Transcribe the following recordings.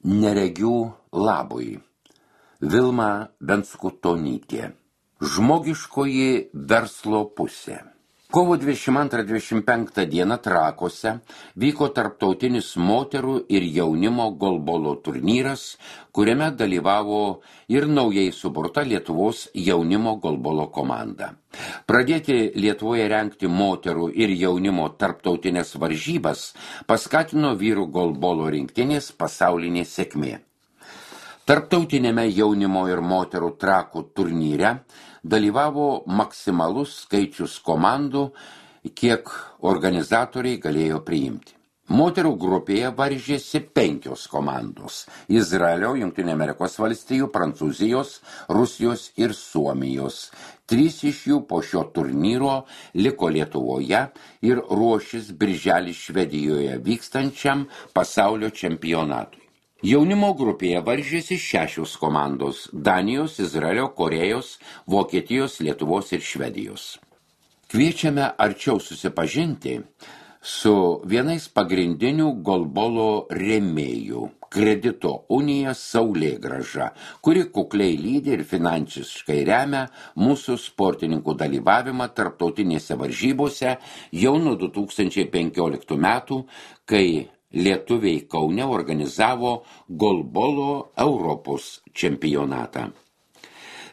Neregių labui. Vilma Venskutonytė. Žmogiškoji verslo pusė. Kovo 22-25 dieną Trakuose vyko tarptautinis moterų ir jaunimo golbolo turnyras, kuriame dalyvavo ir naujai suburta Lietuvos jaunimo golbolo komanda. Pradėti Lietuvoje rengti moterų ir jaunimo tarptautinės varžybas paskatino vyrų golbolo rinktinės pasaulinė sėkmė. Tarptautinėme jaunimo ir moterų Trakų turnyre dalyvavo maksimalus skaičius komandų, kiek organizatoriai galėjo priimti. Moterų grupėje varžėsi 5 komandos – Izraelio, Jungtinių Amerikos valstijų, Prancūzijos, Rusijos ir Suomijos. 3 iš jų po šio turnyro liko Lietuvoje ir ruošis birželį Švedijoje vykstančiam pasaulio čempionatui. Jaunimo grupėje varžėsi 6 komandos – Danijos, Izraelio, Korėjos, Vokietijos, Lietuvos ir Švedijos. Kviečiame arčiau susipažinti su vienais pagrindinių golbolo rėmėjų – Kredito unija Saulėgrąža, kuri kukliai lydi ir finansiškai remia mūsų sportininkų dalyvavimą tarptautinėse varžybose jau nuo 2015 metų, kai lietuviai Kaune organizavo golbolo Europos čempionatą.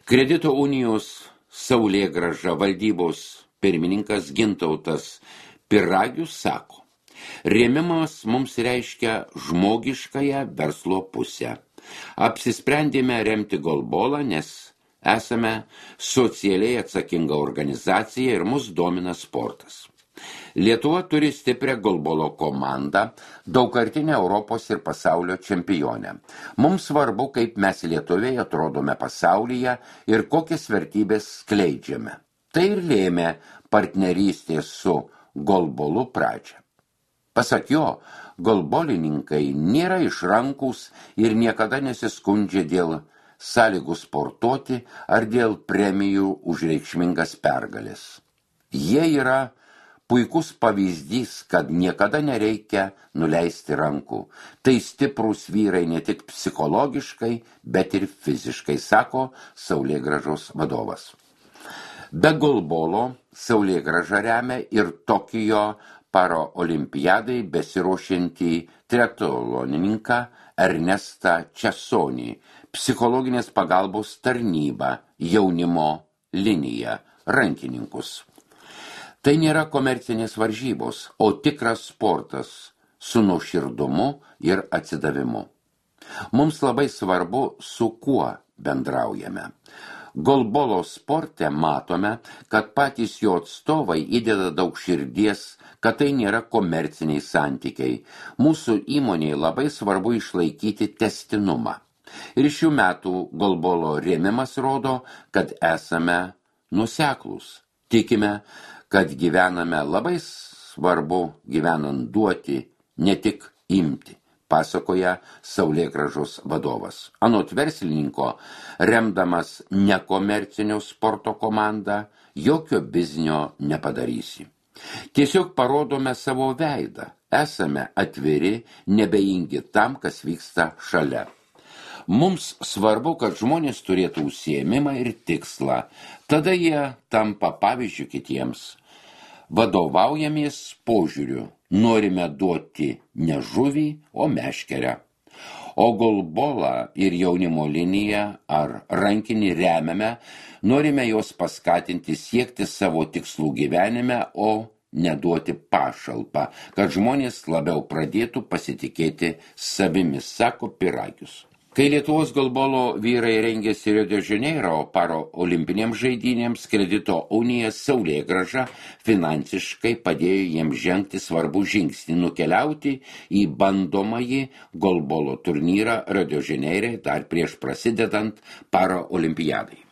Kredito unijos Saulėgrąža valdybos pirmininkas Gintautas Piragius sako, rėmimas mums reiškia žmogiškąją verslo pusę. Apsisprendėme remti golbolą, nes esame socialiai atsakinga organizacija ir mus domina sportas. Lietuva turi stiprią golbolo komandą, daugkartinę Europos ir pasaulio čempionę. Mums svarbu, kaip mes lietuviai atrodome pasaulyje ir kokias vertybės skleidžiame. Tai ir lėmė partnerystės su golbolu pradžią. Pasak jo, golbolininkai nėra išrankus ir niekada nesiskundžia dėl sąlygų sportuoti ar dėl premijų už reikšmingas pergalės. Jie yra puikus pavyzdys, kad niekada nereikia nuleisti rankų. Tai stiprūs vyrai ne tik psichologiškai, bet ir fiziškai, sako Saulėgrąžos vadovas. Be golbolo Saulėgrąža remia ir Tokijo paraolimpiadai besiruošiantį triatlonininką Ernestą Česonį, psichologinės pagalbos tarnybą, jaunimo liniją, rankininkus. Tai nėra komercinės varžybos, o tikras sportas su nuoširdumu ir atsidavimu. Mums labai svarbu, su kuo bendraujame. Golbolo sporte matome, kad patys jo atstovai įdeda daug širdies, kad tai nėra komerciniai santykiai. Mūsų įmonėje labai svarbu išlaikyti testinumą. Ir šių metų golbolo rėmimas rodo, kad esame nuoseklūs. Tikime, kad gyvename labai svarbu gyvenant duoti, ne tik imti, pasakoja Saulėgrąžos vadovas. Anot verslininko, remdamas nekomercinio sporto komandą, jokio biznio nepadarysi. Tiesiog parodome savo veidą, esame atviri, nebeingi tam, kas vyksta šalia. Mums svarbu, kad žmonės turėtų užsiėmimą ir tikslą, tada jie tampa pavyzdžiu kitiems. Vadovaujamies požiūriu, norime duoti ne žuvį, o meškerę. O golbolą ir jaunimo liniją ar rankinį remiame, norime juos paskatinti siekti savo tikslų gyvenime, o neduoti pašalpą, kad žmonės labiau pradėtų pasitikėti savimi, sako Piragius. Kai Lietuvos golbolo vyrai rengėsi Rio de Janeiro paraolimpinėms žaidynėms, Kredito unija Saulėgrąža finansiškai padėjo jiems žengti svarbų žingsnį nukeliauti į bandomąjį golbolo turnyrą Rio de Janeire dar prieš prasidedant paraolimpiadai.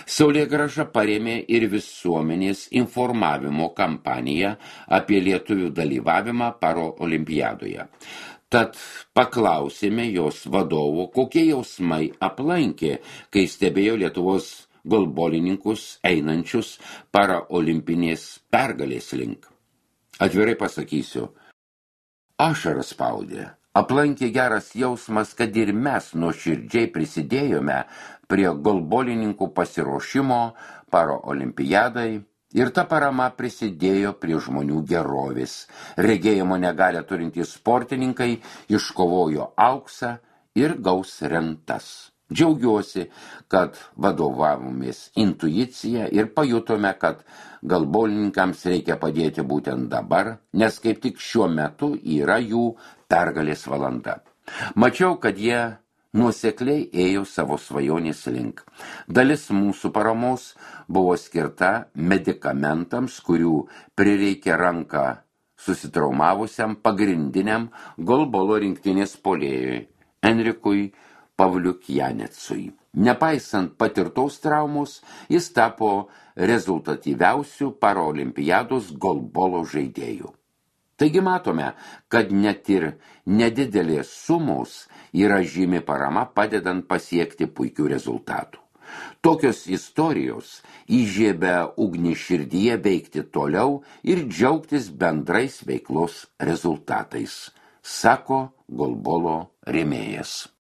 Saulėgrąža parėmė ir visuomenės informavimo kampaniją apie lietuvių dalyvavimą paraolimpiadoje. Tad paklausėme jos vadovo, kokie jausmai aplankė, kai stebėjo Lietuvos golbolininkus einančius paraolimpinės pergalės link. Atvirai pasakysiu, ašaras spaudė, Aplankė geras jausmas, kad ir mes nuoširdžiai prisidėjome prie golbolininkų pasiruošimo paraolimpiadai ir ta parama prisidėjo prie žmonių gerovės. Regėjimo negalią turintys sportininkai iškovojo auksą ir gaus rentas. Džiaugiuosi, kad vadovavomės intuicija ir pajutome, kad golbolininkams reikia padėti būtent dabar, nes kaip tik šiuo metu yra jų pergalės valanda. Mačiau, kad jie nuosekliai ėjo savo svajonės link. Dalis mūsų paramos buvo skirta medikamentams, kurių prireikė ranką susitraumavusiam pagrindiniam golbolo rinktinės puolėjui Enrikui Pavliukjanecui. Nepaisant patirtos traumos, jis tapo rezultatyviausių paraolimpiados golbolo žaidėjų. Taigi matome, kad net ir nedidelės sumos yra žymi parama padedant pasiekti puikių rezultatų. Tokios istorijos įžiebia ugnį širdyje veikti toliau ir džiaugtis bendrais veiklos rezultatais, sako golbolo rėmėjas.